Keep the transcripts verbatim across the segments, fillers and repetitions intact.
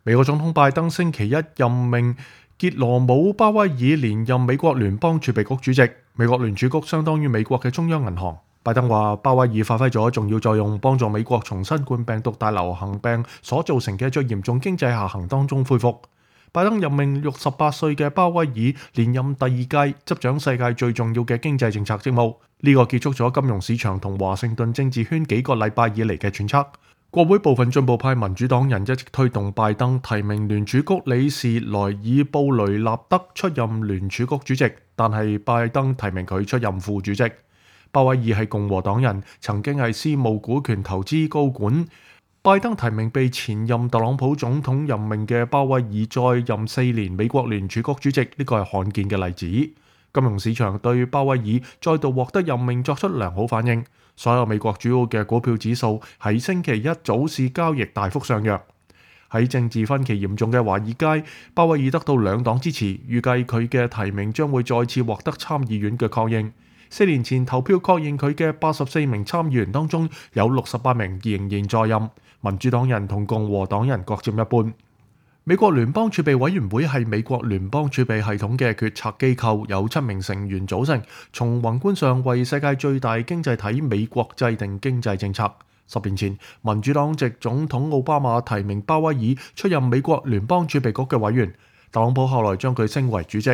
美國總統拜登星期一任命傑羅姆·鮑威爾連任美國聯邦儲備局主席。美國聯儲局相當於美國嘅中央銀行。拜登話鮑威爾發揮咗重要作用，幫助美國從新冠病毒大流行病所造成嘅最嚴重經濟下行當中恢復。拜登任命六十八歲嘅鮑威爾連任第二屆，執掌世界最重要嘅經濟政策職務。呢、這個結束咗金融市場同華盛頓政治圈幾個禮拜以嚟嘅揣測。國會部分進步派民主黨人一直推動拜登提名聯儲局理事萊爾布雷納德出任聯儲局主席，但係拜登提名佢出任副主席。鮑威爾係共和黨人，曾經係私募股權投資高管。拜登提名被前任特朗普總統任命嘅鮑威爾再任四年美國聯儲局主席，呢個係罕見嘅例子。金融市場對鮑威爾再度獲得任命作出良好反應，所有美國主要嘅股票指數喺星期一早市交易大幅上揚。喺政治分歧嚴重嘅華爾街，鮑威爾得到兩黨支持，預計佢嘅提名將會再次獲得參議院嘅確認。四年前投票確認佢嘅八十四名參議員當中，有六十八名仍然在任，民主黨人同共和黨人各佔一半。美國聯邦儲備委員會係美國聯邦儲備系統嘅決策機構，有七名成員組成，從宏觀上為世界最大經濟體美國制定經濟政策。十年前，民主黨籍總統奧巴馬提名鮑威爾出任美國聯邦儲備局嘅委員，特朗普後來將佢升為主席。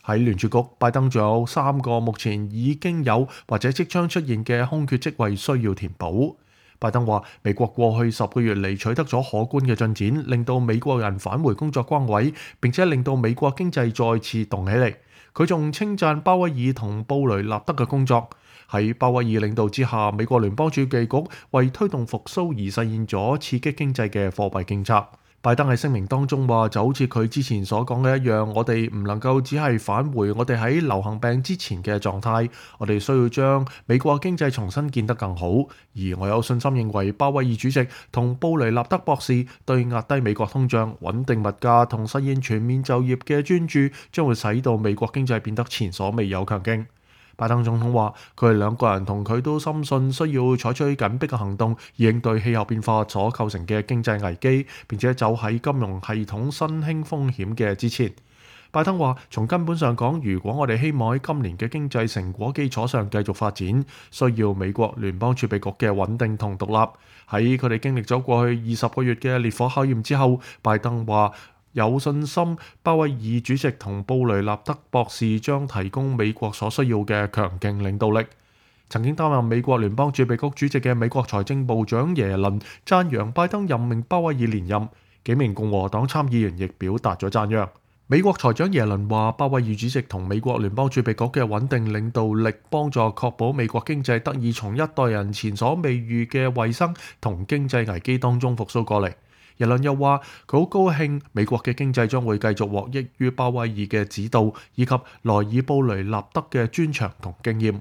喺聯儲局，拜登仲有三個目前已經有或者即將出現嘅空缺職位需要填補。拜登話：美國過去十個月嚟取得咗可觀嘅進展，令到美國人返回工作崗位，並且令到美國經濟再次動起嚟。佢仲稱讚鮑威爾同布雷納德嘅工作。喺鮑威爾領導之下，美國聯邦儲備局為推動復甦而實現咗刺激經濟嘅貨幣政策。拜登喺聲明當中話，就好似佢之前所講嘅一樣，我哋唔能夠只係返回我哋喺流行病之前嘅狀態，我哋需要將美國經濟重新建得更好。而我有信心認為，鮑威爾主席同布雷納德博士對壓低美國通脹、穩定物價同實現全面就業嘅專注，將會使到美國經濟變得前所未有強勁。拜登總統話：佢哋兩個人同佢都深信需要採取緊迫嘅行動，以應對氣候變化所構成嘅經濟危機，並且走喺金融系統新興風險嘅之前。拜登話：從根本上講，如果我哋希望喺今年嘅經濟成果基礎上繼續發展，需要美國聯邦儲備局嘅穩定同獨立。喺佢哋經歷咗過去二十個月嘅烈火考驗之後，拜登話：有信心，鮑威爾主席同布雷納德博士將提供美國所需要嘅強勁領導力。曾經擔任美國聯邦儲備局主席嘅美國財政部長耶倫讚揚拜登任命鮑威爾連任，幾名共和黨參議員亦表達咗讚揚。美國財長耶倫話：鮑威爾主席同美國聯邦儲備局嘅穩定領導力，幫助確保美國經濟得以從一代人前所未遇嘅衛生同經濟危機當中復甦過嚟。耶倫又話：佢好高興美國嘅經濟將會繼續獲益於鮑威爾嘅指導以及萊爾布雷納德嘅專長同經驗。